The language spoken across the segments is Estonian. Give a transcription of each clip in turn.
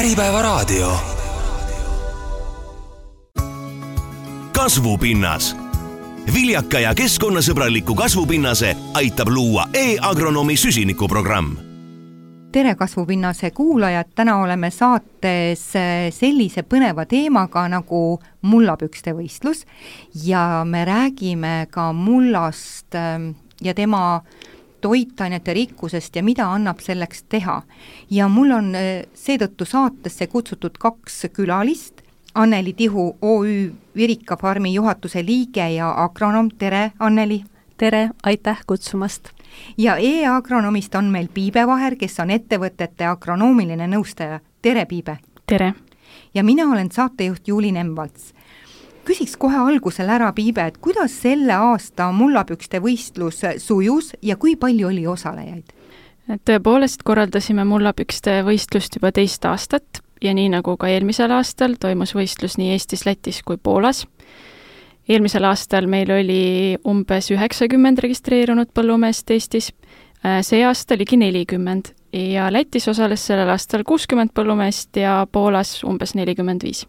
Äripäevaraadio. Kasvupinnas. Viljaka ja keskkonnasõbraliku kasvupinnase aitab luua e-agronomi süsinikuprogramm. Tere Kasvupinnase kuulajad, täna oleme saates sellise põneva teemaga nagu mullapükste võistlus ja me räägime ka mullast ja tema toitainete rikkusest ja mida annab selleks teha. Ja mul on seetõttu saatesse kutsutud 2 külalist, Anneli Tihu OÜ Virika Farmi juhatuse liige ja agronom. Tere, Anneli! Tere, aitäh kutsumast! Ja e-agronomist on meil Piibe Vaher, kes on ettevõtete agronoomiline nõustaja. Tere, Piibe! Tere! Ja mina olen saatejuht Juuli Nemvalts. Küsiks kohe algusel ära, Piibe, et kuidas selle aasta mullapükste võistlus sujus ja kui palju oli osalejaid? Tõepoolest korraldasime mullapükste võistlust juba 2 aastat ja nii nagu ka eelmisel aastal toimus võistlus nii Eestis, Lätis kui Poolas. Eelmisel aastal meil oli umbes 90 registreerunud põllumeest Eestis, see aasta ligi 40 ja Lätis osales sellel aastal 60 põllumeest ja Poolas umbes 45.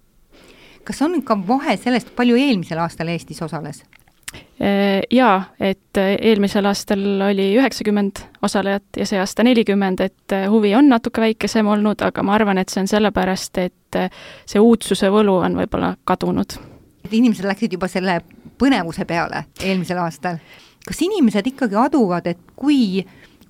Kas on ka vahe sellest, palju eelmisel aastal Eestis osales? Jaa, et eelmisel aastal oli 90 osalejat ja see aasta 40, et huvi on natuke väikesem olnud, aga ma arvan, et see on sellepärast, et see uudsuse võlu on võib-olla kadunud. Inimesed läksid juba selle põnevuse peale eelmisel aastal. Kas inimesed ikkagi aduvad, et kui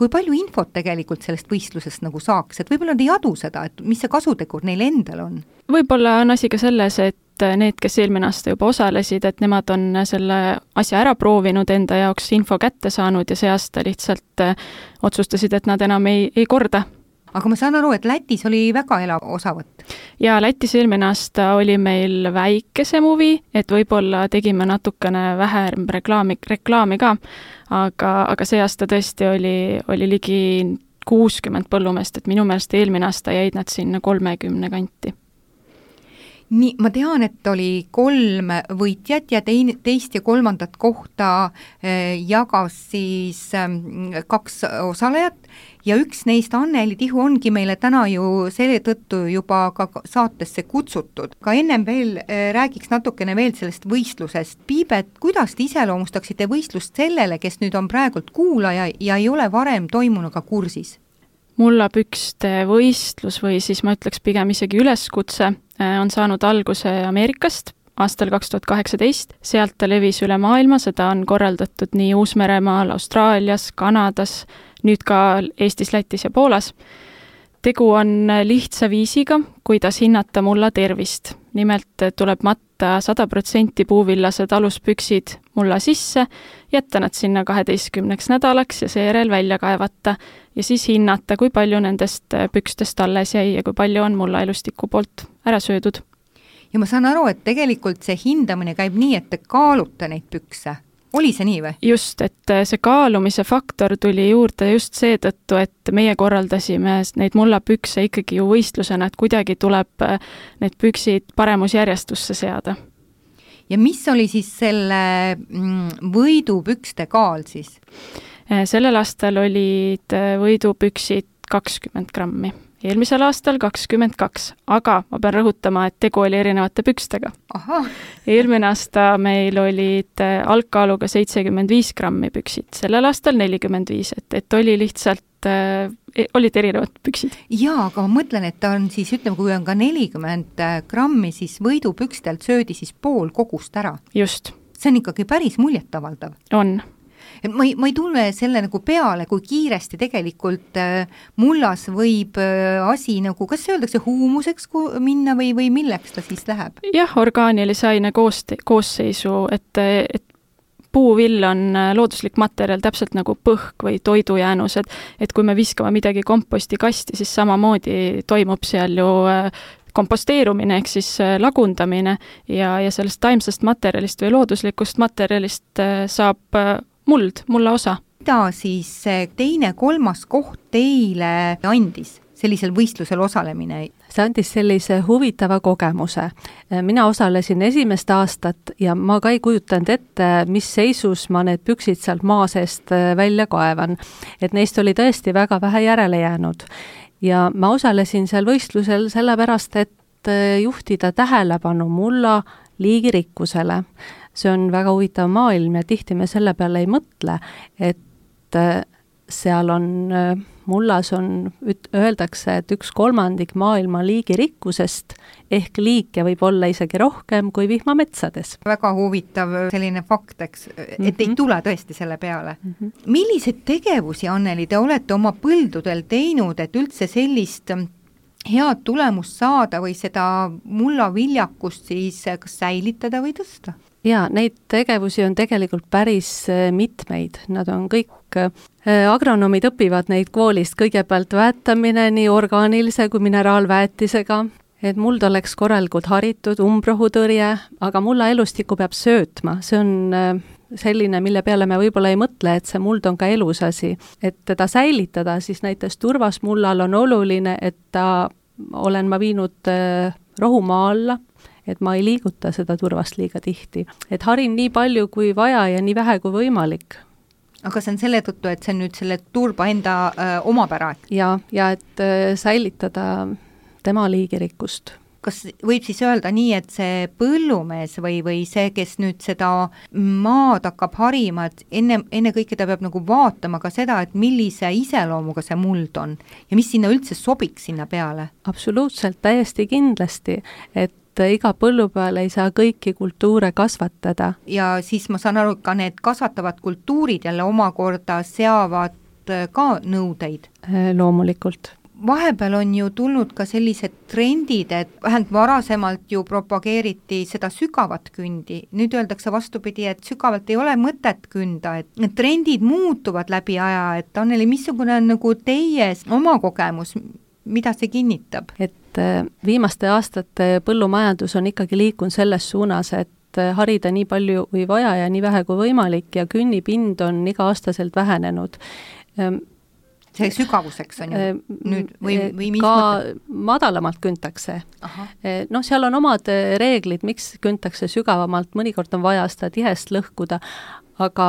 palju infot tegelikult sellest võistlusest nagu saaks, et võib-olla nad ei adu seda, et mis see kasutegur neil endal on? Võib-olla on asi ka selles, et need, kes eelmine aasta juba osalesid, et nemad on selle asja ära proovinud, enda jaoks info kätte saanud ja see aasta lihtsalt otsustasid, et nad enam ei korda. Aga ma saan aru, et Lätis oli väga elav osavõtt. Ja Lätis eelmine aasta oli meil väikesem huvi, et võib-olla tegime natukene vähem reklaami ka, aga see aasta tõesti oli ligi 60 põllumeest, et minu meelest eelmine aasta jäid nad sinna 30 kanti. Nii, ma tean, et oli 3 võitjat ja teist ja 3. kohta jagas siis 2 osalejat ja üks neist, Anneli Tihu, ongi meile täna ju selle tõttu juba ka saatesse kutsutud. Ka ennem veel räägiks natukene veel sellest võistlusest. Piibet, kuidas te iseloomustaksite võistlust sellele, kes nüüd on praegult kuulaja ja ei ole varem toimunuga kursis? Mullapükste võistlus või siis ma ütleks pigem isegi üleskutse on saanud alguse Ameerikast aastal 2018. Sealt ta levis üle maailma, seda on korraldatud nii Uus-Meremaal, Austraalias, Kanadas, nüüd ka Eestis, Lätis ja Poolas. Tegu on lihtsa viisiga, kuidas hinnata mulla tervist. Nimelt tuleb matta 100% puuvillased aluspüksid mulla sisse, jätta nad sinna 12 nädalaks ja seejärel välja kaevata ja siis hinnata, kui palju nendest pükstest alles jäi ja kui palju on mulla elustiku poolt ära söödud. Ja ma saan aru, et tegelikult see hindamine käib nii, et te kaalute neid pükse. Oli see nii või? Just, et see kaalumise faktor tuli juurde just seetõttu, et meie korraldasime neid mullapükse ikkagi ju võistlusena, et kuidagi tuleb need püksid paremusjärjestusse seada. Ja mis oli siis selle võidupükste kaal siis? Sellel aastal olid võidupüksid 20 grammi. Eelmisel aastal 22, aga ma pean rõhutama, et tegu oli erinevate pükstega. Aha. Eelmine aasta meil olid algkaaluga 75 grammi püksid, sellel aastal 45, et oli lihtsalt, olid erinevad püksid. Jaa, aga ma mõtlen, et on siis, ütleme, kui on ka 40 grammi, siis võidupükstelt söödi siis pool kogust ära. Just. See on ikkagi päris muljetavaldav. On. Ma ei tunne selle nagu peale, kui kiiresti tegelikult mullas võib asi nagu, kas öeldakse huumuseks minna või milleks ta siis läheb? Jah, orgaanilise aine koosseisu, et puuvill on looduslik materjal täpselt nagu põhk või toidujäänus, et kui me viskame midagi kompostikasti, siis samamoodi toimub seal ju komposteerumine ehk siis lagundamine ja sellest taimsest materjalist või looduslikust materjalist saab mulla osa. Mida siis 2., 3. koht teile andis sellisel võistlusel osalemine? See andis sellise huvitava kogemuse. Mina osalesin 1. aastat ja ma ka ei kujutanud ette, mis seisus ma need püksid sealt maa seest välja kaevan. Et neist oli tõesti väga vähe järele jäänud. ja ma osalesin seal võistlusel sellepärast, et juhtida tähelepanu mulla liigirikkusele. See on väga huvitav maailm ja tihti me selle peale ei mõtle, et seal on, mullas on, öeldakse, et 1/3 maailma liigirikkusest ehk liike võib olla isegi rohkem kui vihmametsades. Väga huvitav selline fakt, eks, et ei tule tõesti selle peale. Milliseid tegevusi, Anneli, te olete oma põldudel teinud, et üldse sellist head tulemust saada või seda mullaviljakust siis kas säilitada või tõsta? Jaa, neid tegevusi on tegelikult päris mitmeid. Nad on kõik, agronoomid õpivad neid koolist, kõigepealt väetamine nii orgaanilise kui mineraalväetisega, et muld oleks korralikult haritud, umbrohutõrje, aga mulla elustikku peab söötma. See on selline, mille peale me võib-olla ei mõtle, et see muld on ka elus asi. Et teda säilitada, siis näiteks turvasmullal on oluline, et olen ma viinud rohumaa alla, et ma ei liiguta seda turvast liiga tihti. Et harin nii palju kui vaja ja nii vähe kui võimalik. Aga see on selle tõttu, et see on nüüd selle turba enda omapära? Ja et säilitada tema liigirikkust. Kas võib siis öelda nii, et see põllumees või see, kes nüüd seda maad hakkab harima, et enne kõike ta peab nagu vaatama ka seda, et millise iseloomuga see muld on ja mis sinna üldse sobiks sinna peale? Absoluutselt, täiesti kindlasti, et iga põllu peal ei saa kõiki kultuure kasvatada. Ja siis ma saan aru, ka need kasvatavad kultuurid jälle omakorda seavad ka nõudeid? Loomulikult. Vahepeal on ju tulnud ka sellised trendid, et vähemalt varasemalt ju propageeriti seda sügavat kündi. Nüüd öeldakse vastupidi, et sügavalt ei ole mõtet künda, et need trendid muutuvad läbi aja, et Anneli, missugune on nagu teie oma kogemus, mida see kinnitab? Et viimaste aastate põllumajandus on ikkagi liikunud selles suunas, et harida nii palju kui vaja ja nii vähe kui võimalik ja künnipind on iga-aastaselt vähenenud. See sügavuseks on ju nüüd või mis ka mõtled? Madalamalt küntakse. No seal on omad reeglid, miks küntakse sügavamalt, mõnikord on vaja seda tihest lõhkuda, aga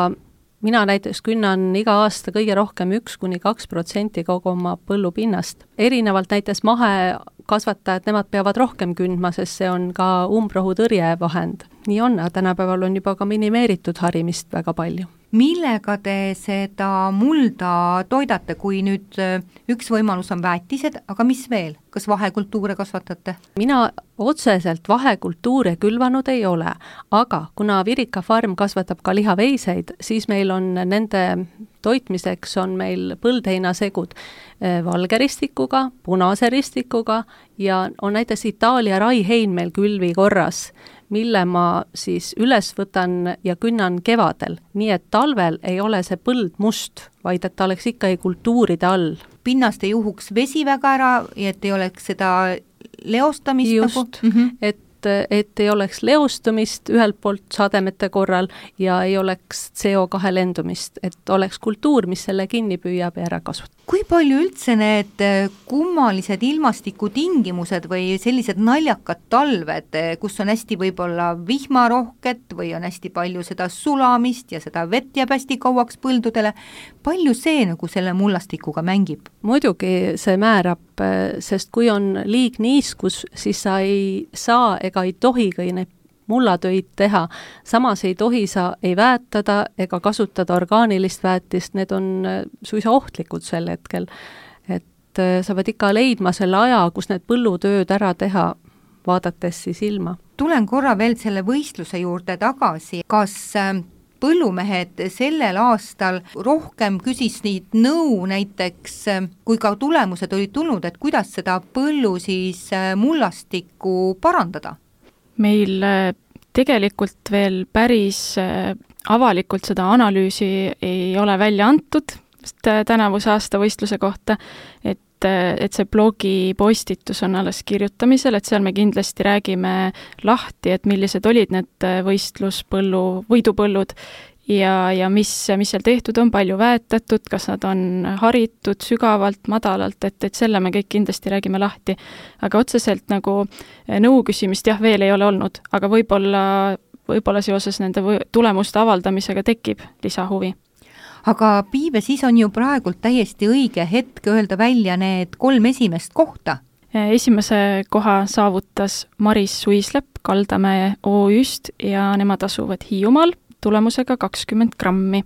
mina näiteks künnan iga aasta kõige rohkem 1–2% kogu oma põllupinnast. Erinevalt näiteks mahekasvatajad, nemad peavad rohkem kündma, sest see on ka umbrohutõrje vahend. Nii on, tänapäeval on juba ka minimeeritud harimist väga palju. Millega te seda mulda toidate, kui nüüd üks võimalus on väetised, aga mis veel? Kas vahekultuure kasvatate? Mina otseselt vahekultuure külvanud ei ole, aga kuna Virika farm kasvatab ka lihaveiseid, siis meil on nende toitmiseks on meil põldheinasegud valge ristikuga, punase ristikuga ja on näiteks Itaalia raihein meil külvi korras, mille ma siis üles võtan ja künnan kevadel, nii et talvel ei ole see põld must, vaid et ta oleks ikka kultuuride all. Pinnast ei juhuks vesi väga ära ja et ei oleks seda leostamist just, nagu? Et ei oleks leostumist ühelt poolt sademete korral ja ei oleks CO2 lendumist, et oleks kultuur, mis selle kinni püüab ja ära kasutab. Kui palju üldse need kummalised ilmastikutingimused või sellised naljakad talved, kus on hästi võib-olla vihmarohket või on hästi palju seda sulamist ja seda vett jääb hästi kauaks põldudele, palju see nagu selle mullastikuga mängib? Muidugi see määrab, sest kui on liig niiskus, siis sa ei saa ega ei tohi neid mullatöid teha. Samas ei tohi sa ei väetada ega kasutada orgaanilist väetist, need on suisa ohtlikud sel hetkel. Et sa pead ikka leidma selle aja, kus need põllutööd ära teha, vaadates siis ilma. Tulen korra veel selle võistluse juurde tagasi. Kas põllumehed sellel aastal rohkem küsis neid nõu näiteks, kui ka tulemused olid tulnud, et kuidas seda põllu siis mullastikku parandada? Meil tegelikult veel päris avalikult seda analüüsi ei ole välja antud tänavuse aasta võistluse kohta, et see blogi postitus on alles kirjutamisel, et seal me kindlasti räägime lahti, et millised olid need võidupõllud ja mis seal tehtud on, palju väetatud, kas nad on haritud sügavalt, madalalt, et selle me kõik kindlasti räägime lahti. Aga otseselt nagu nõu küsimist jah, veel ei ole olnud, aga võib-olla seoses nende tulemuste avaldamisega tekib lisahuvi. aga Piibe, siis on ju praegult täiesti õige hetk öelda välja need 3 esimest kohta. Esimese koha saavutas Maris Suislepp Kaldamäe OÜ-st ja nemad asuvad Hiiumaal tulemusega 20 grammi.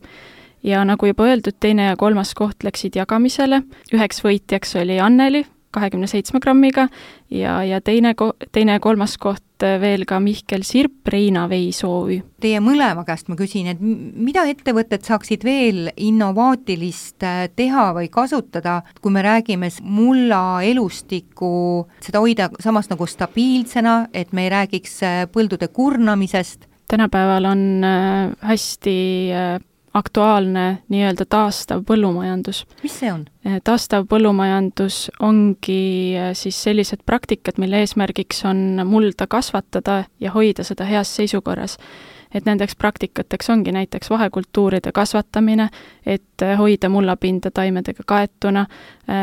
Ja nagu juba öeldud, 2. ja 3. koht läksid jagamisele. 1 võitjaks oli Anneli 27 grammiga ja teine ja 3. koht veel ka Mihkel Sirp, Reina Veis OÜ. Teie mõlema käest ma küsin, et mida ettevõtted saaksid veel innovaatilist teha või kasutada, kui me räägime mulla elustiku, seda hoida samas nagu stabiilsena, et me ei räägiks põldude kurnamisest? Tänapäeval on hästi aktuaalne nii-öelda taastav põllumajandus. Mis see on? Taastav põllumajandus ongi siis sellised praktikad, mille eesmärgiks on mulda kasvatada ja hoida seda heas seisukorras. Et nendeks praktikateks ongi näiteks vahekultuuride kasvatamine, et hoida mullapinda taimedega kaetuna,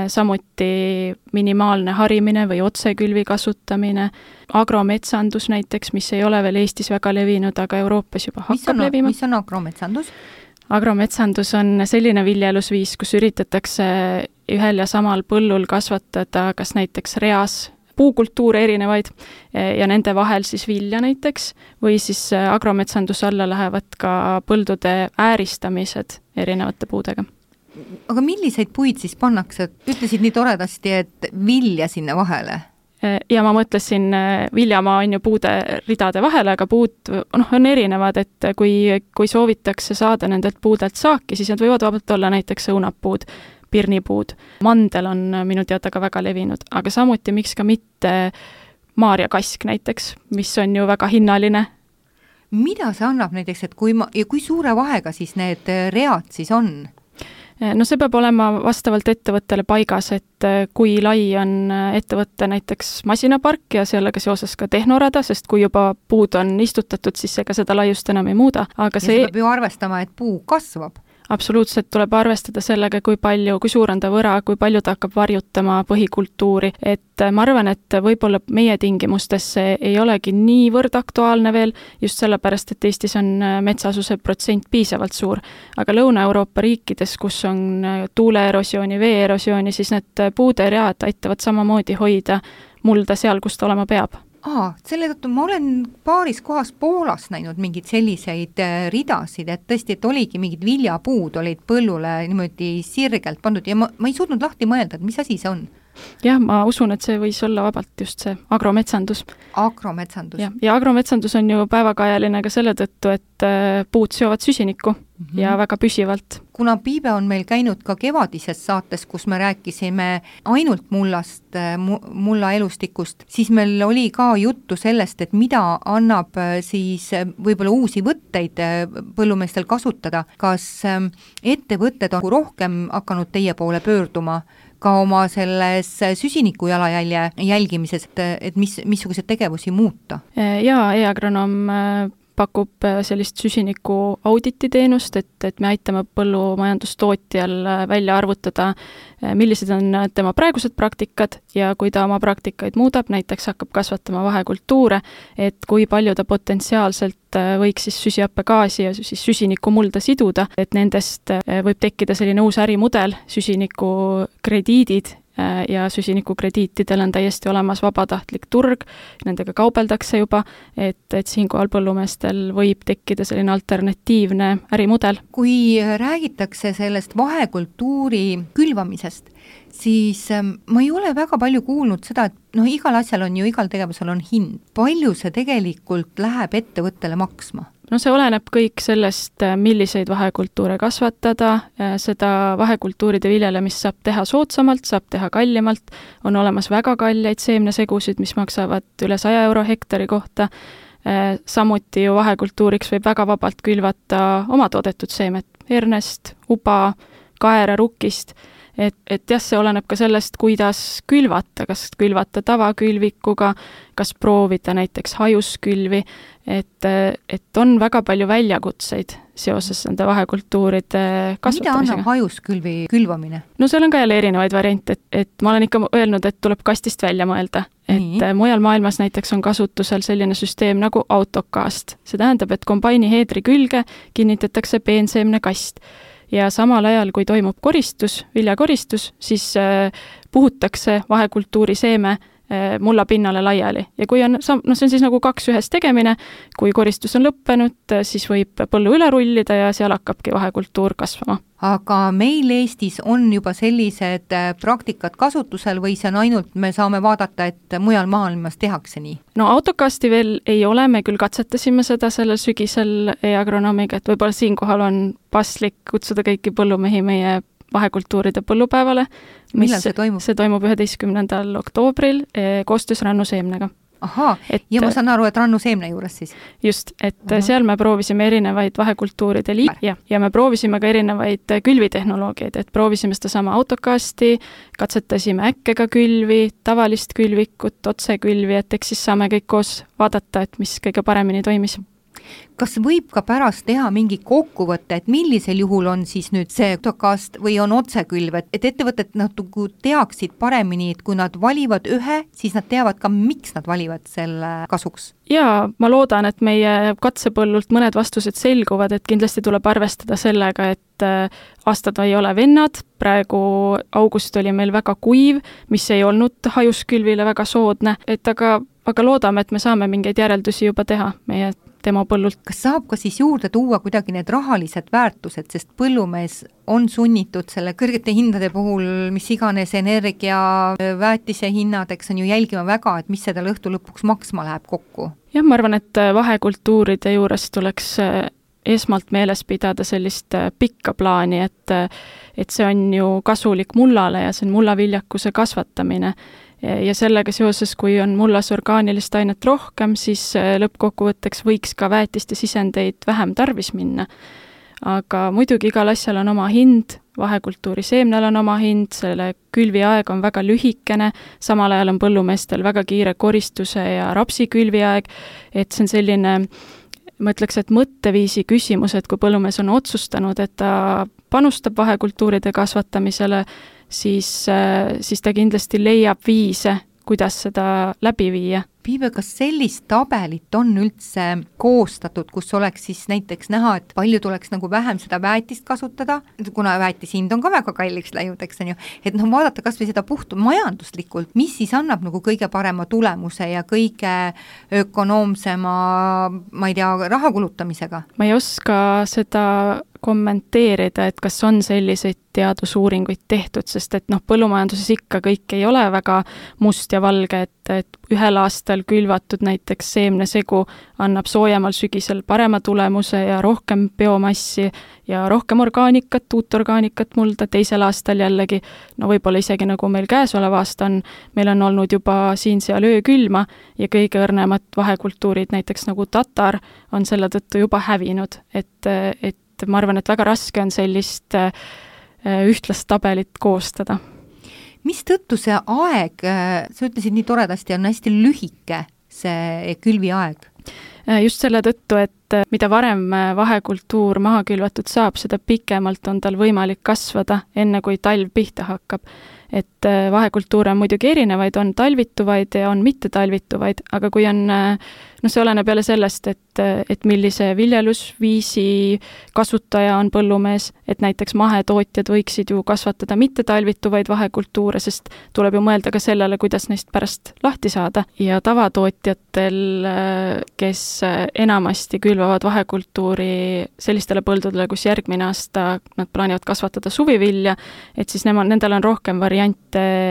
samuti minimaalne harimine või otsekülvi kasutamine, agrometsandus näiteks, mis ei ole veel Eestis väga levinud, aga Euroopas juba hakkab levima. Mis on agrometsandus? Agrometsandus on selline viljelusviis, kus üritatakse ühel ja samal põllul kasvatada kas näiteks reas puukultuure erinevaid ja nende vahel siis vilja näiteks, või siis agrometsanduse alla lähevad ka põldude ääristamised erinevate puudega. Aga milliseid puid siis pannakse? Ütlesid nii toredasti, et vilja sinna vahele? Ja ma mõtlesin, viljamaa on ju puude ridade vahele, aga puud on erinevad, et kui soovitakse saada nendelt puudelt saaki, siis need võivad vabalt olla näiteks õunapuud, pirnipuud. Mandel on minu teada ka väga levinud, aga samuti miks ka mitte maarjakask näiteks, mis on ju väga hinnaline. Mida see annab näiteks, et kui suure vahega siis need read siis on? No see peab olema vastavalt ettevõttele paigas, et kui lai on ettevõtte näiteks masinapark ja sellega seoses ka tehnorada, sest kui juba puud on istutatud, siis ega seda laiust enam ei muuda. Aga see peab ju arvestama, et puu kasvab. Absoluutselt tuleb arvestada sellega, kui suur on ta võra, kui palju ta hakkab varjutama põhikultuuri, et ma arvan, et võib-olla meie tingimustes see ei olegi niivõrd aktuaalne veel, just sellepärast, et Eestis on metsasuse protsent piisavalt suur, aga Lõuna-Euroopa riikides, kus on tuuleerosiooni, veeerosiooni, siis need puuderead aitavad samamoodi hoida mulda seal, kus ta olema peab. Selle tõttu ma olen paaris kohas Poolas näinud mingid selliseid ridasid, et tõesti, et oligi mingid viljapuud olid põllule niimoodi sirgelt pandud ja ma ei suutnud lahti mõelda, et mis asi see on. Jah, ma usun, et see võis olla vabalt just see agrometsandus. Agrometsandus. Ja agrometsandus on ju päevakajaline ka selle tõttu, et puud seovad süsinikku ja väga püsivalt. Kuna Piibe on meil käinud ka kevadises saates, kus me rääkisime ainult mullast, mulla elustikust, siis meil oli ka juttu sellest, et mida annab siis võib-olla uusi võtteid põllumeestel kasutada. Kas ettevõtted on rohkem hakanud teie poole pöörduma ka oma selles süsiniku jalajälje jälgimises, et missugused tegevusi muuta? Jaa, e-agronoom pakub sellist süsiniku audititeenust, et me aitame põllumajandustootjal välja arvutada, millised on tema praegused praktikad ja kui ta oma praktikaid muudab, näiteks hakkab kasvatama vahekultuure, et kui palju ta potentsiaalselt võiks siis süsihappegaasi ja siis süsiniku mulda siduda, et nendest võib tekkida selline uus ärimudel, süsinikukrediidid, ja süsinikukrediitidel on täiesti olemas vabatahtlik turg, nendega kaubeldakse juba, et siinkohal põllumeestel võib tekkida selline alternatiivne ärimudel. Kui räägitakse sellest vahekultuuri külvamisest, siis ma ei ole väga palju kuulnud seda, et igal asjal on ju, igal tegevusel on hind. Palju see tegelikult läheb ettevõttele maksma? No see oleneb kõik sellest, milliseid vahekultuure kasvatada, seda vahekultuuride viljelemist saab teha soodsamalt, saab teha kallimalt, on olemas väga kalleid seemnesegusid, mis maksavad üle 100 euro hektari kohta, samuti ju vahekultuuriks võib väga vabalt külvata oma toodetud seemet, hernest, uba, kaera, rukkist, et jah, see oleneb ka sellest, kuidas külvata, kas külvata tavakülvikuga, kas proovida näiteks hajuskülvi, et on väga palju väljakutseid seoses nende vahekultuuride kasvatamisega. Mida annab hajuskülvi külvamine? No seal on ka jälle erinevaid variante, et ma olen ikka öelnud, et tuleb kastist välja mõelda. Et mujal maailmas näiteks on kasutusel selline süsteem nagu autokast. See tähendab, et kombaini heedri külge kinnitatakse peenseemne kast. ja samal ajal, kui toimub koristus, viljakoristus, siis puhutakse vahekultuuri seeme mullapinnale laiali ja kui on, see on siis nagu 2 ühes tegemine, kui koristus on lõppenud, siis võib põllu üle rullida ja seal hakkabki vahekultuur kasvama. Aga meil Eestis on juba sellised praktikad kasutusel või see on ainult, me saame vaadata, et mujal maailmas tehakse nii? No autokasti veel ei ole, me küll katsetasime seda sellel sügisel e-agronoomiga, et võib-olla siinkohal on paslik kutsuda kõiki põllumehi meie vahekultuuride põllupäevale. Millal see toimub? See toimub 11. oktoobril koostöös Rannuseemnega. Ahaa, ja ma saan aru, et Rannuseemne juures siis? Just, et seal me proovisime erinevaid vahekultuuride ja me proovisime ka erinevaid külvitehnoloogiaid, et proovisime seda sama autokasti, katsetasime äkkega külvi, tavalist külvikut, otsekülvi, et eks siis saame kõik koos vaadata, et mis kõige paremini toimis. Kas võib ka pärast teha mingi kokkuvõtte, et millisel juhul on siis nüüd see autokast või on otsekülv, et ettevõtted natuke teaksid paremini, et kui nad valivad ühe, siis nad teavad ka, miks nad valivad selle kasuks? Jaa, ma loodan, et meie katsepõllult mõned vastused selguvad, et kindlasti tuleb arvestada sellega, et aastad ei ole vennad, praegu august oli meil väga kuiv, mis ei olnud hajuskülvile väga soodne, et aga loodame, et me saame mingeid järeldusi juba teha meie tema põllult. Kas saab ka siis juurde tuua kuidagi need rahalised väärtused, sest põllumees on sunnitud selle kõrgete hindade puhul, mis iganes energia, väetise hinnad, eks on ju jälgima väga, et mis seda õhtu lõpuks maksma läheb kokku? Jah, ma arvan, et vahekultuuride juures tuleks esmalt meeles pidada sellist pikka plaani, et see on ju kasulik mullale ja see on mullaviljakuse kasvatamine. Ja sellega seoses, kui on mullas orgaanilist ainet rohkem, siis lõppkokkuvõtteks võiks ka väetiste sisendeid vähem tarvis minna. Aga muidugi igal asjal on oma hind, vahekultuuri seemnel on oma hind, selle külvi aeg on väga lühikene, samal ajal on põllumeestel väga kiire koristuse ja rapsi külvi aeg, et see on selline, ma ütleks, et mõtteviisi küsimus, et kui põllumees on otsustanud, et ta panustab vahekultuuride kasvatamisele, siis ta kindlasti leiab viise, kuidas seda läbi viia. Piibe, kas sellist tabelit on üldse koostatud, kus oleks siis näiteks näha, et palju tuleks nagu vähem seda väetist kasutada, kuna väetishind on ka väga kalliks läinud, eks on ju, et vaadata kas või seda puhtu majanduslikult, mis siis annab nagu kõige parema tulemuse ja kõige ökonoomsema, ma ei tea, raha kulutamisega? Ma ei oska seda kommenteerida, et kas on selliseid teadusuuringuid tehtud, sest et põllumajanduses ikka kõik ei ole väga must ja valge, et ühel aastal külvatud näiteks seemnesegu annab soojemal sügisel parema tulemuse ja rohkem biomassi ja rohkem orgaanikat, uut orgaanikat mulda, teisel aastal jällegi, võib-olla isegi nagu meil käesolev aasta on, meil on olnud juba siin-seal öökülma ja kõige õrnemad vahekultuurid, näiteks nagu tatar, on selle tõttu juba hävinud, et ma arvan, et väga raske on sellist ühtlast tabelit koostada. Mis tõttu see aeg, sa ütlesid nii toredasti, on hästi lühike see külvi aeg? Just selle tõttu, et mida varem vahekultuur maha külvatud saab, seda pikemalt on tal võimalik kasvada, enne kui talv pihta hakkab. Et vahekultuure on muidugi erinevaid, on talvituvaid ja on mitte talvituvaid, aga kui on, see oleneb jälle sellest, et millise viljelusviisi kasutaja on põllumees, et näiteks mahetootjad võiksid ju kasvatada mitte talvituvaid vahekultuure, sest tuleb ju mõelda ka sellele, kuidas neist pärast lahti saada. Ja tavatootjatel, kes enamasti külvavad vahekultuuri sellistele põldudele, kus järgmine aasta nad plaanivad kasvatada suvivilja, et siis nendel on rohkem variante,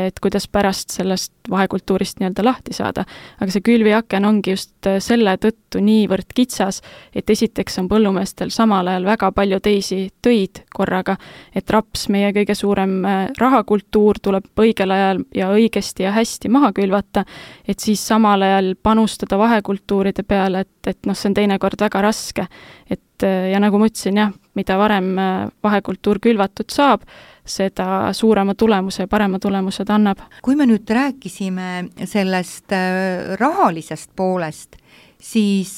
et kuidas pärast sellest vahekultuurist nii-öelda lahti saada. Aga see külviaken ongi just selle tõttu niivõrd kitsas, et esiteks on põllumeestel samal ajal väga palju teisi töid korraga, et raps, meie kõige suurem rahakultuur, tuleb õigel ajal ja õigesti ja hästi maha külvata, et siis samal ajal panustada vahekultuuride peale, et see on teinekord väga raske. Ja nagu ma ütlesin, jah, mida varem vahekultuur külvatud saab, seda suurema tulemuse ja parema tulemuse ta annab. Kui me nüüd rääkisime sellest rahalisest poolest, siis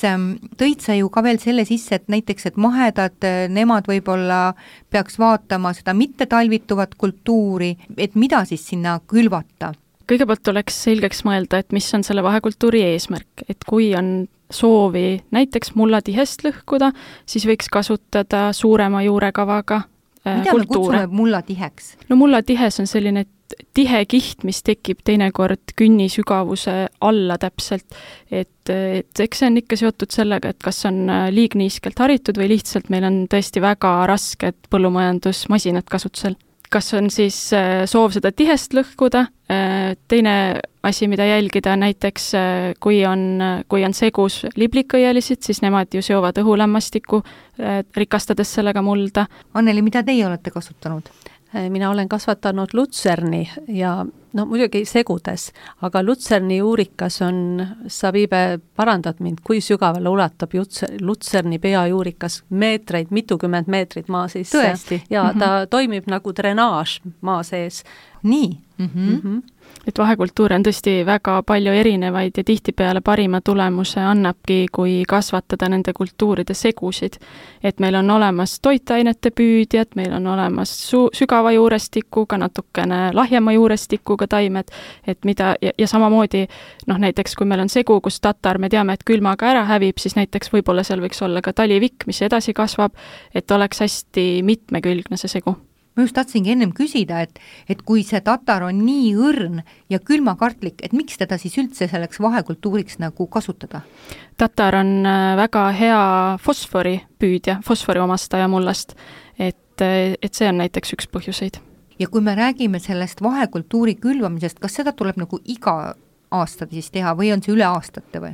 tõid sa ju ka veel selle sisse, et näiteks, et mahedad, nemad võib-olla peaks vaatama seda mitte talvituvat kultuuri, et mida siis sinna külvata? Kõigepealt oleks selgeks mõelda, et mis on selle vahekultuuri eesmärk, et kui on soovi näiteks mullatihest lõhkuda, siis võiks kasutada suurema juurekavaga mida me kutsume mullatiheks? No mullatihes on selline tihe kiht, mis tekib teinekord künni sügavuse alla täpselt, et eks see on ikka seotud sellega, et kas on liigniiskelt haritud või lihtsalt meil on tõesti väga rasked põllumajandusmasinad kasutusel. Kas on siis soov seda tihest lõhkuda, teine asi, mida jälgida, näiteks kui on segus liblikõielisid, siis nemad ju seovad õhulämmastikku, rikastades sellega mulda. Anneli, mida teie olete kasutanud? Mina olen kasvatanud lutserni ja muidugi segudes, aga lutserni juurikas on, Savibe parandad mind, kui sügavale ulatab lutserni peajuurikas meetreid, mitukümmend meetrit maa sisse. Tõesti? Ja ta toimib nagu drenaaž maa sees. Nii? Et vahekultuure on tõesti väga palju erinevaid ja tihtipeale parima tulemuse annabki, kui kasvatada nende kultuuride segusid. Et meil on olemas toitainete püüdjad, meil on olemas sügava juurestikuga, natukene lahjema juurestikuga taimed, et mida, ja samamoodi, näiteks kui meil on segu, kus tatar, me teame, et külmaga ära hävib, siis näiteks võib-olla seal võiks olla ka talivikk, mis edasi kasvab, et oleks hästi mitmekülgne see segu. Ma just tahtsingi ennem küsida, et kui see tatar on nii õrn ja külmakartlik, et miks teda siis üldse selleks vahekultuuriks nagu kasutada? Tatar on väga hea fosfori püüdja, fosfori omastaja mullast, et see on näiteks üks põhjuseid. Ja kui me räägime sellest vahekultuuri külvamisest, kas seda tuleb nagu iga aasta siis teha või on see üle aastate või?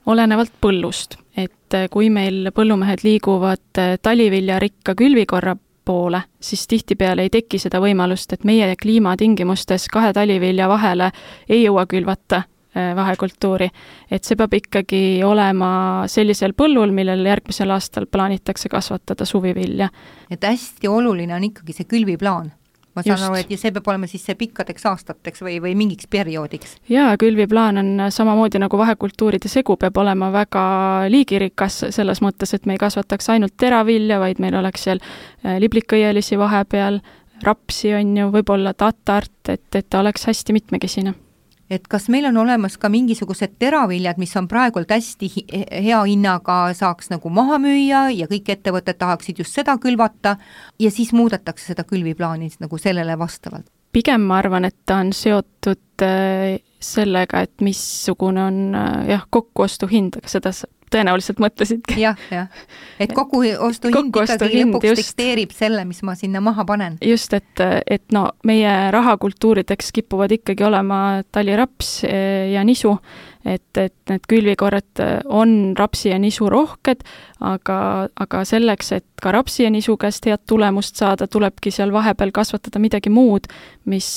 Olenevalt põllust, et kui meil põllumehed liiguvad taliviljarikka külvikorra poole, siis tihtipeale ei teki seda võimalust, et meie kliimatingimustes 2 talivilja vahele ei jõua külvata vahekultuuri. Et see peab ikkagi olema sellisel põllul, millel järgmisel aastal plaanitakse kasvatada suvivilja. Et hästi oluline on ikkagi see külviplaan. Ma saan aru, et see peab olema siis see pikkadeks aastateks või mingiks perioodiks. Jaa, külviplaan on samamoodi nagu vahekultuuride segu peab olema väga liigirikas selles mõttes, et me ei kasvataks ainult teravilja, vaid meil oleks seal liblikõielisi vahepeal, rapsi on ju, võib-olla tatart, et ta oleks hästi mitmekesine. Et kas meil on olemas ka mingisugused teraviljad, mis on praegult hästi hea hinnaga saaks nagu maha müüa ja kõik ettevõtted tahaksid just seda külvata ja siis muudetakse seda külviplaani nagu sellele vastavalt? Pigem ma arvan, et ta on seotud sellega, et missugune on kokkuostu hind, aga seda tõenäoliselt mõtlesidki. Jah. Et kokkuostu hind ikkagi lõpuks dikteerib selle, mis ma sinna maha panen. Just, et meie rahakultuurideks kipuvad ikkagi olema taliraps ja nisu, et need külvikorred on rapsi ja nisu rohked, aga selleks, et ka rapsi ja nisu käest head tulemust saada, tulebki seal vahepeal kasvatada midagi muud, mis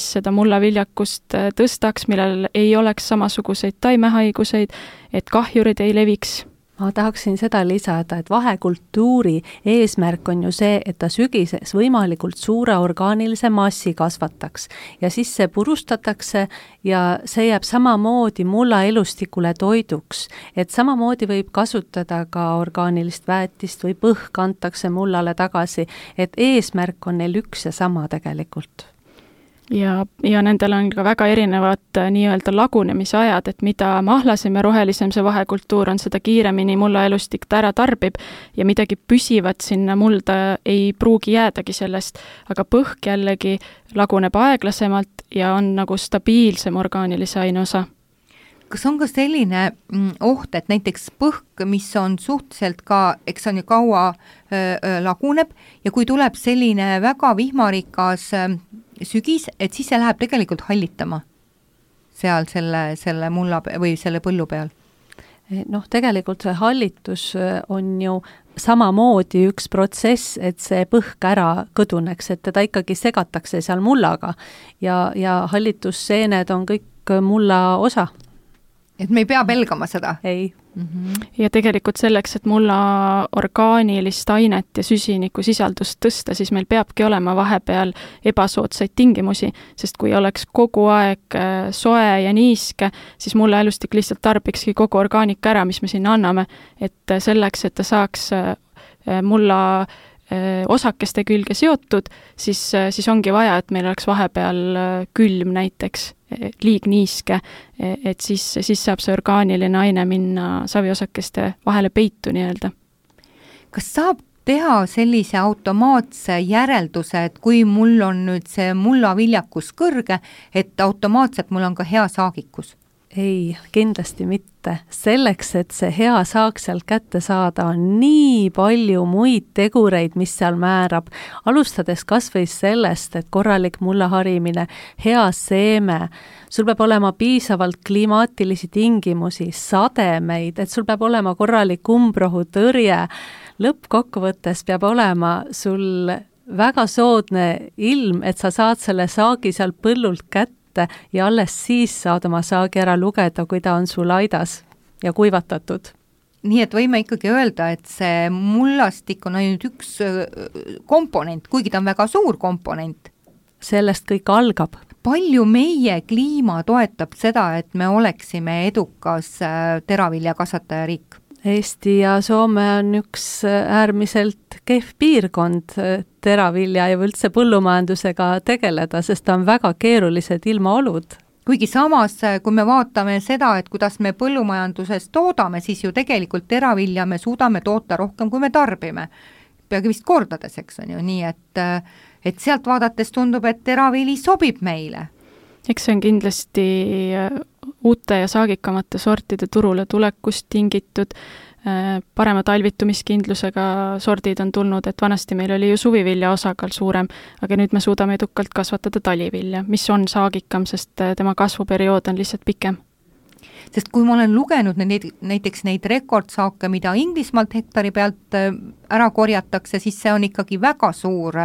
seda mullaviljakust tõstaks, millel ei oleks samasuguseid taimehaiguseid, et kahjurid ei leviks. Ma tahaksin seda lisada, et vahekultuuri eesmärk on ju see, et ta sügises võimalikult suure orgaanilise massi kasvataks ja siis see purustatakse ja see jääb samamoodi mulla elustikule toiduks, et samamoodi võib kasutada ka orgaanilist väetist või põhk antakse mullale tagasi, et eesmärk on neil üks ja sama tegelikult. Ja nendel on ka väga erinevad nii-öelda lagunemise ajad, et mida mahlasem ja rohelisem see vahekultuur on, seda kiiremini mulla elustik ta ära tarbib ja midagi püsivat sinna mulda ei pruugi jäädagi sellest, aga põhk jällegi laguneb aeglasemalt ja on nagu stabiilsem orgaanilise aine osa. Kas on ka selline oht, et näiteks põhk, mis on suhteliselt ka, eks on ju kaua laguneb ja kui tuleb selline väga vihmarikas sügis, et siis see läheb tegelikult hallitama seal selle mulla või selle põllu peal? Tegelikult see hallitus on ju samamoodi üks protsess, et see põhk ära kõduneks, et teda ikkagi segatakse seal mullaga ja hallitusseened on kõik mulla osa. Et me ei pea pelgama seda? Ei. Ja tegelikult selleks, et mulla orgaanilist ainet ja süsiniku sisaldust tõsta, siis meil peabki olema vahepeal ebasoodsaid tingimusi, sest kui oleks kogu aeg soe ja niiske, siis mulla elustik lihtsalt tarbikski kogu orgaanika ära, mis me sinna anname, et selleks, et ta saaks mulla osakeste külge seotud, siis ongi vaja, et meil oleks vahepeal külm näiteks, liigniiske, et siis saab see orgaaniline aine minna saviosakeste vahele peitu nii-öelda. Kas saab teha sellise automaatse järelduse, et kui mul on nüüd see mullaviljakus kõrge, et automaatselt mul on ka hea saagikus? Ei, kindlasti mitte. Selleks, et see hea saak sealt kätte saada, on nii palju muid tegureid, mis seal määrab. Alustades kas või sellest, et korralik mullaharimine, hea seeme, sul peab olema piisavalt klimaatilisi tingimusi, sademeid, et sul peab olema korralik umbrohutõrje. Lõppkokkuvõttes peab olema sul väga soodne ilm, et sa saad selle saagi seal põllult kätte ja alles siis saad oma saagi ära lugeda, kui ta on sul aidas ja kuivatatud. Nii et võime ikkagi öelda, et see mullastik on ainult üks komponent, kuigi ta on väga suur komponent. Sellest kõik algab. Palju meie kliima toetab seda, et me oleksime edukas teraviljakasvataja riik? Eesti ja Soome on üks äärmiselt kehv piirkond teravilja ja üldse põllumajandusega tegeleda, sest ta on väga keerulised ilmaolud. Kuigi samas, kui me vaatame seda, et kuidas me põllumajanduses toodame, siis ju tegelikult teravilja me suudame toota rohkem, kui me tarbime. Peagi vist kordades, eks on ju, nii et sealt vaadates tundub, et teravili sobib meile. Eks see on kindlasti uute ja saagikamate sortide turule tulekust tingitud, parema talvitumiskindlusega sordid on tulnud, et vanasti meil oli ju suvivilja osakaal suurem, aga nüüd me suudame edukalt kasvatada talivilja, mis on saagikam, sest tema kasvuperiood on lihtsalt pikem. Sest kui ma olen lugenud näiteks neid rekordsaake, mida Inglismaalt hektari pealt ära korjatakse, siis see on ikkagi väga suur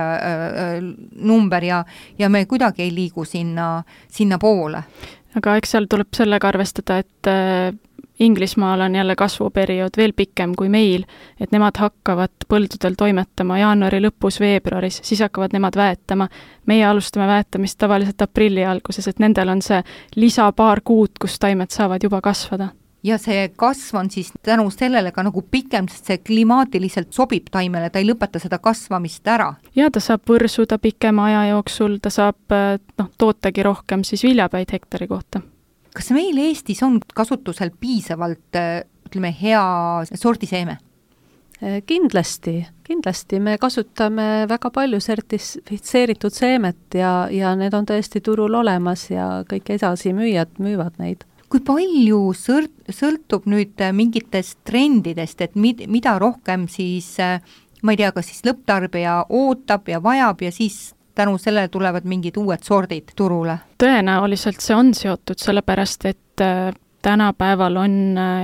number ja me kuidagi ei liigu sinna poole. Aga eks seal tuleb sellega arvestada, et Inglismaal on jälle kasvuperiood veel pikem kui meil, et nemad hakkavad põldudel toimetama jaanuari lõpus, veebruaris, siis hakkavad nemad väetama. Meie alustame väetamist tavaliselt aprilli alguses, et nendel on see lisa paar kuud, kus taimed saavad juba kasvada. Ja see kasv on siis tänu sellele ka nagu pikem, sest see klimaatiliselt sobib taimele, ta ei lõpeta seda kasvamist ära. Ja ta saab võrsuda pikema aja jooksul, ta saab tootagi rohkem siis viljapäid hektari kohta. Kas meil Eestis on kasutusel piisavalt, ütleme, hea sordiseeme? Kindlasti me kasutame väga palju sertifitseeritud seemet ja need on tõesti turul olemas ja kõik edasimüüjad müüvad neid. Kui palju sõltub nüüd mingitest trendidest, et mida rohkem siis, ma ei tea, kas siis lõpptarbija ootab ja vajab ja siis tänu sellele tulevad mingid uued sordid turule? Tõenäoliselt see on seotud, sellepärast et tänapäeval on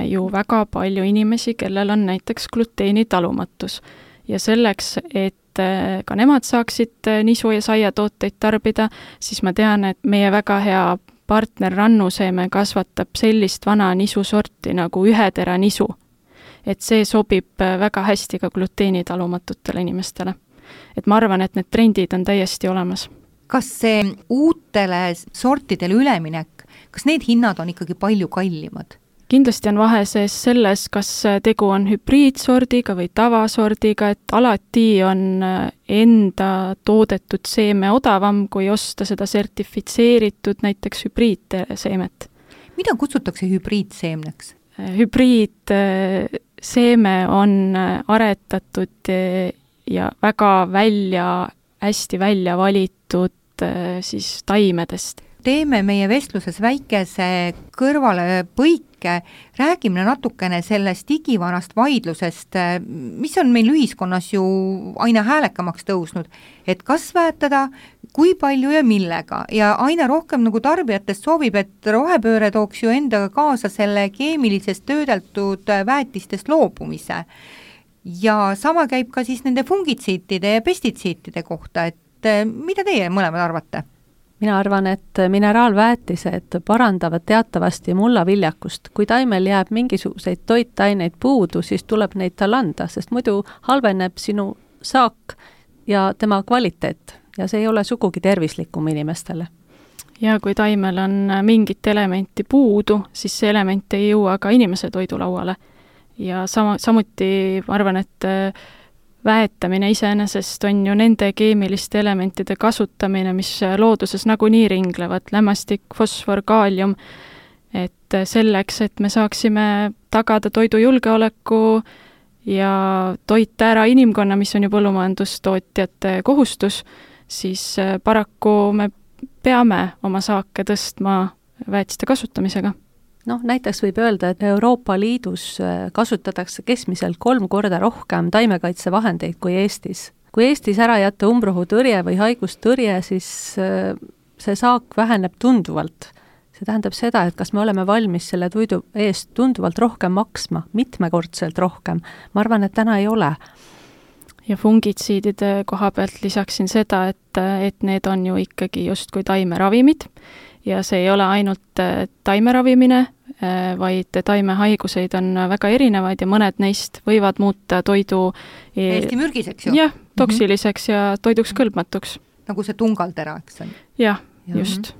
ju väga palju inimesi, kellel on näiteks gluteenitalumatus. Ja selleks, et ka nemad saaksid nisu ja saiatooteid tarbida, siis ma tean, et meie väga hea partner Rannuseeme kasvatab sellist vana nisusorti nagu ühetera nisu. Et see sobib väga hästi ka gluteenitalumatutele inimestele. Et ma arvan, et need trendid on täiesti olemas. Kas see uutele sortidele üleminek, kas need hinnad on ikkagi palju kallimad? Kindlasti on vahe sees selles, kas tegu on hübriidsordiga või tavasordiga, et alati on enda toodetud seeme odavam, kui osta seda sertifitseeritud näiteks hübriidseemet. Mida kutsutakse hübriidseemneks? Hübriidseeme on aretatud ja väga hästi välja valitud siis taimedest. Teeme meie vestluses väikese kõrvale põike, räägime natukene sellest igivanast vaidlusest, mis on meil ühiskonnas ju aina häälekamaks tõusnud, et kas väetada, kui palju ja millega ja aina rohkem nagu tarbijatest soovib, et rohepööre tooks ju endaga kaasa selle keemilisest töödeldud väetistest loobumise. Ja sama käib ka siis nende fungitsiitide ja pestitsiitide kohta, et mida teie mõlemad arvate? Mina arvan, et mineraalväetised parandavad teatavasti mullaviljakust. Kui taimel jääb mingisuguseid toitaineid puudu, siis tuleb neid tal anda, sest muidu halveneb sinu saak ja tema kvaliteet ja see ei ole sugugi tervislikum inimestele. Ja kui taimel on mingit elementi puudu, siis see element ei jõua ka inimese toidulauale. Ja samuti ma arvan, et väetamine iseenesest on ju nende keemiliste elementide kasutamine, mis looduses nagunii ringlevad, lämmastik, fosfor, kaalium, et selleks, et me saaksime tagada toidujulgeoleku ja toita ära inimkonna, mis on ju põllumajandustootjate kohustus, siis paraku me peame oma saake tõstma väetiste kasutamisega. Näiteks võib öelda, et Euroopa Liidus kasutatakse keskmiselt 3 korda rohkem taimekaitsevahendeid kui Eestis. Kui Eestis ära jätta umbrohutõrje või haigustõrje, siis see saak väheneb tunduvalt. See tähendab seda, et kas me oleme valmis selle toidu eest tunduvalt rohkem maksma, mitmekordselt rohkem. Ma arvan, et täna ei ole. Ja fungitsiidide koha pealt lisaksin seda, et need on ju ikkagi justkui taimeravimid ja see ei ole ainult taimeravimine, vaid taimehaiguseid on väga erinevaid ja mõned neist võivad muuta toidu Eesti mürgiseks ju? Jah, toksiliseks ja toiduks kõlbmatuks. Nagu see tungaltera, eks on? Jah, just.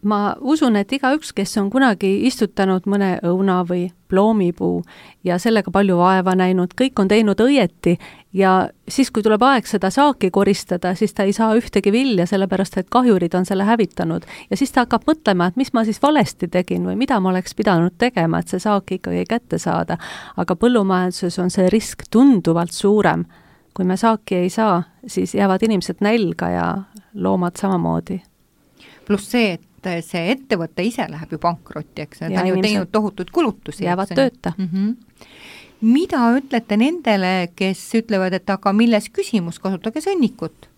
Ma usun, et igaüks, kes on kunagi istutanud mõne õuna või ploomipuu ja sellega palju vaeva näinud, kõik on teinud õieti ja siis, kui tuleb aeg seda saaki koristada, siis ta ei saa ühtegi vilja, sellepärast et kahjurid on selle hävitanud. Ja siis ta hakkab mõtlema, et mis ma siis valesti tegin või mida ma oleks pidanud tegema, et see saak ikkagi kätte saada. Aga põllumajanduses on see risk tunduvalt suurem. Kui me saaki ei saa, siis jäävad inimesed nälga ja loomad samamoodi. Pluss see, et see ettevõte ise läheb ju pankrotti, eks ta on ju teinud tohutud kulutusi. Jäävad tööta. Mida ütlete nendele, kes ütlevad, et aga milles küsimus, kasutage sõnnikut?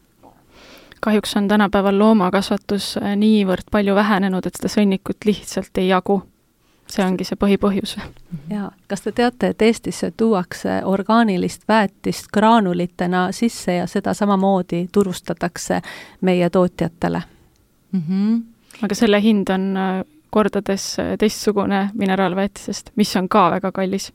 Kahjuks on tänapäeval loomakasvatus niivõrd palju vähenenud, et seda sõnnikut lihtsalt ei jagu. See ongi see põhipõhjus. Ja, kas te teate, et Eestisse tuuakse orgaanilist väetist graanulitena sisse ja seda samamoodi turustatakse meie tootjatele? Aga selle hind on kordades teistsugune mineraalväetisest, mis on ka väga kallis.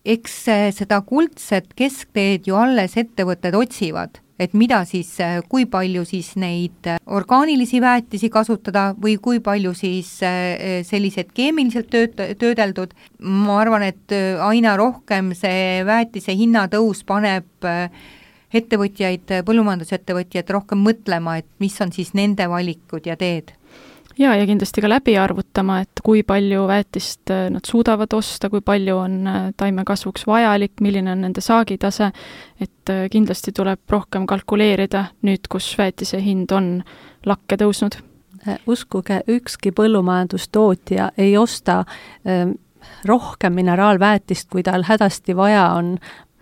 Eks seda kuldset keskteed ju alles ettevõtted otsivad, et mida siis, kui palju siis neid orgaanilisi väetisi kasutada või kui palju siis sellised keemiliselt töödeldud. Ma arvan, et aina rohkem see väetise hinnatõus paneb ettevõtjaid, põllumajandusettevõtjaid rohkem mõtlema, et mis on siis nende valikud ja teed. Ja kindlasti ka läbi arvutama, et kui palju väetist nad suudavad osta, kui palju on taimekasvuks vajalik, milline on nende saagitase, et kindlasti tuleb rohkem kalkuleerida nüüd, kus väetise hind on lakke tõusnud. Uskuge, ükski põllumajandustootja ei osta rohkem mineraalväetist, kui tal hädasti vaja on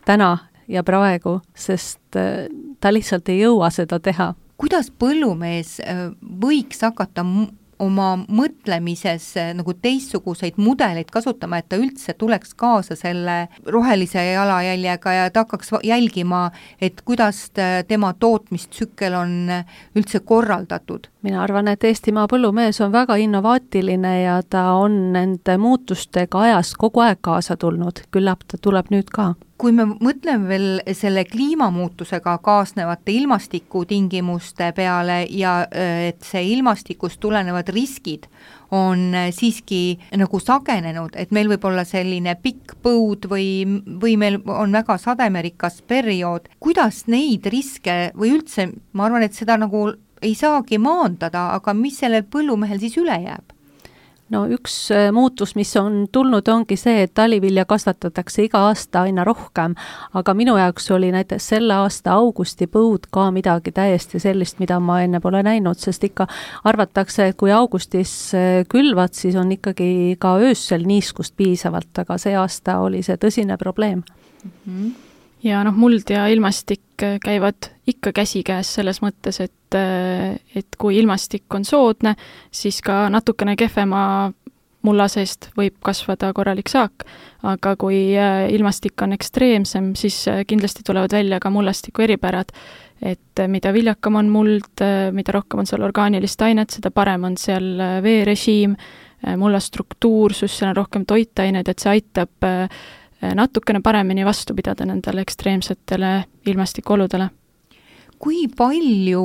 täna ja praegu, sest ta lihtsalt ei jõua seda teha. Kuidas põllumees võiks hakata oma mõtlemises nagu teistsuguseid mudeleid kasutama, et ta üldse tuleks kaasa selle rohelise jalajäljega ja ta hakkaks jälgima, et kuidas tema tootmistsükkel on üldse korraldatud? Mina arvan, et Eestimaa põllumees on väga innovaatiline ja ta on nende muutustega ajas kogu aeg kaasa tulnud. Küllap ta tuleb nüüd ka. Kui me mõtleme veel selle kliimamuutusega kaasnevate ilmastikutingimuste peale ja et see ilmastikust tulenevad riskid on siiski nagu sagenenud, et meil võib olla selline pikk põud või meil on väga sademerikas periood, kuidas neid riske või üldse, ma arvan, et seda nagu ei saagi maandada, aga mis sellel põllumehel siis üle jääb? No üks muutus, mis on tulnud, ongi see, et talivilja kasvatatakse iga aasta aina rohkem, aga minu jaoks oli näiteks selle aasta augusti põud ka midagi täiesti sellist, mida ma enne pole näinud, sest ikka arvatakse, et kui augustis külvad, siis on ikkagi ka öössel niiskust piisavalt, aga see aasta oli see tõsine probleem. Ja muld ja ilmastik käivad ikka käsikäes selles mõttes, et kui ilmastik on soodne, siis ka natukene kehvema mulla seest võib kasvada korralik saak, aga kui ilmastik on ekstreemsem, siis kindlasti tulevad välja ka mullastiku eripärad, et mida viljakam on muld, mida rohkem on seal orgaanilist ainet, seda parem on seal veerežiim, mulla struktuursus, seal on rohkem toitained, et see aitab natukene paremini vastu pidada nendele ekstreemsetele ilmastikuoludele. Kui palju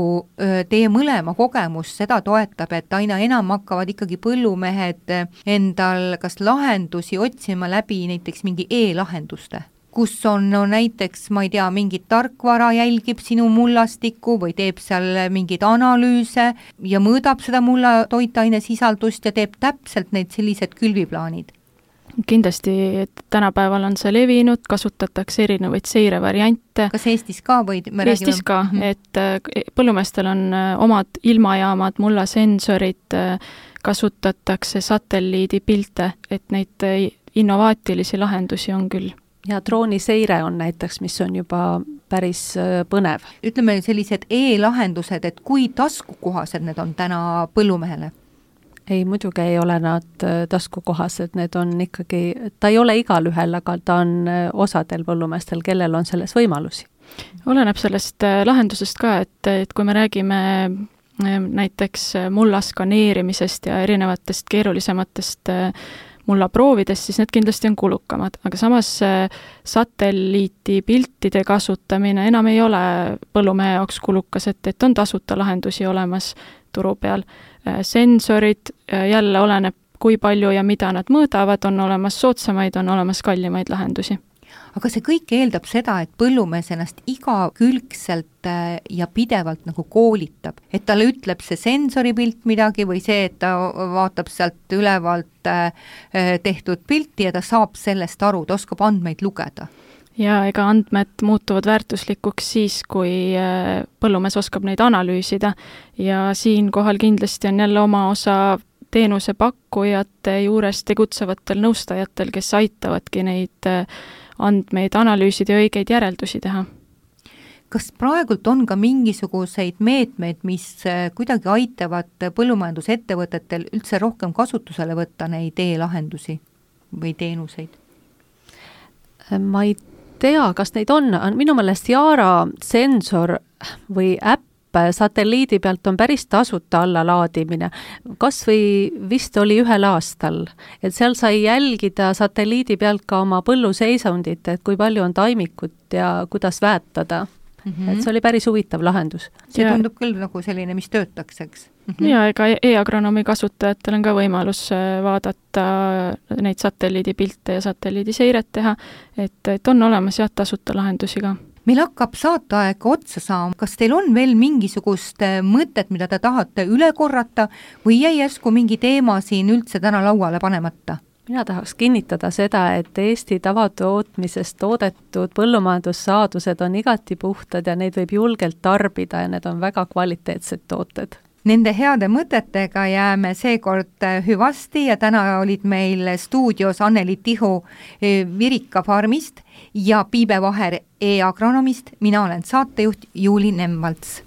teie mõlema kogemus seda toetab, et aina enam hakkavad ikkagi põllumehed endal kas lahendusi otsima läbi näiteks mingi e-lahenduste, kus on näiteks, ma ei tea, mingit tarkvara jälgib sinu mullastikku või teeb seal mingeid analüüse ja mõõdab seda mulla toitaine sisaldust ja teeb täpselt need sellised külviplaanid? kindlasti, et tänapäeval on see levinud, kasutatakse erinevaid seirevariante. Kas Eestis ka või? Eestis ka, et põllumeestel on omad ilmajaamad, mullasensorid, kasutatakse satelliidipilte, et neid innovaatilisi lahendusi on küll. Ja drooniseire on näiteks, mis on juba päris põnev. Ütleme sellised e-lahendused, et kui taskukohased need on täna põllumehele? Ei, muidugi ei ole nad taskukohased, need on ikkagi, ta ei ole igal ühel, aga ta on osadel põllumeestel, kellel on selles võimalusi. Oleneb sellest lahendusest ka, et kui me räägime näiteks mulla skaneerimisest ja erinevatest keerulisematest mullaproovidest, siis need kindlasti on kulukamad, aga samas satelliitipiltide kasutamine enam ei ole põllumehe jaoks kulukas, et on tasuta lahendusi olemas turu peal. Sensorid jälle oleneb, kui palju ja mida nad mõõdavad, on olemas soodsamaid, on olemas kallimaid lahendusi. Aga see kõik eeldab seda, et põllumees ennast igakülgselt ja pidevalt nagu koolitab, et talle ütleb see sensoripilt midagi või see, et ta vaatab sealt ülevalt tehtud pilti ja ta saab sellest aru, ta oskab andmeid lugeda. Ja ega andmed muutuvad väärtuslikuks siis, kui põllumees oskab neid analüüsida ja siinkohal kindlasti on jälle oma osa teenusepakkujate juures tegutsevatel nõustajatel, kes aitavadki neid andmeid analüüsida ja õigeid järeldusi teha. Kas praegult on ka mingisuguseid meetmeid, mis kuidagi aitavad põllumajandusettevõtetel üldse rohkem kasutusele võtta neid e-lahendusi või teenuseid? Ma ei tea, kas neid on. Minu meelest Yaara sensor või äpp satelliidi pealt on päris tasuta allalaadimine. Kas või vist oli 1 aastal, et seal sai jälgida satelliidi pealt ka oma põlluseisundit, et kui palju on taimikut ja kuidas väetada. Et see oli päris huvitav lahendus. See tundub küll nagu selline, mis töötaks, eks? Ja ega e-agronoomi kasutajatel on ka võimalus vaadata neid satelliidipilte ja satelliidiseiret teha, et on olemas tasuta lahendusi ka. Meil hakkab saateaeg otsa saama. Kas teil on veel mingisugust mõtet, mida te tahate üle korrata või jäi järsku mingi teema siin üldse täna lauale panemata? Mina tahaks kinnitada seda, et Eesti tavatootmisest toodetud põllumajandussaadused on igati puhtad ja neid võib julgelt tarbida ja need on väga kvaliteetsed tooted. Nende heade mõtetega jääme seekord hüvasti ja täna olid meil stuudios Anneli Tihu Virika farmist ja Piibe Vaher e-agronomist. Mina olen saatejuht Juuli Nemvalts.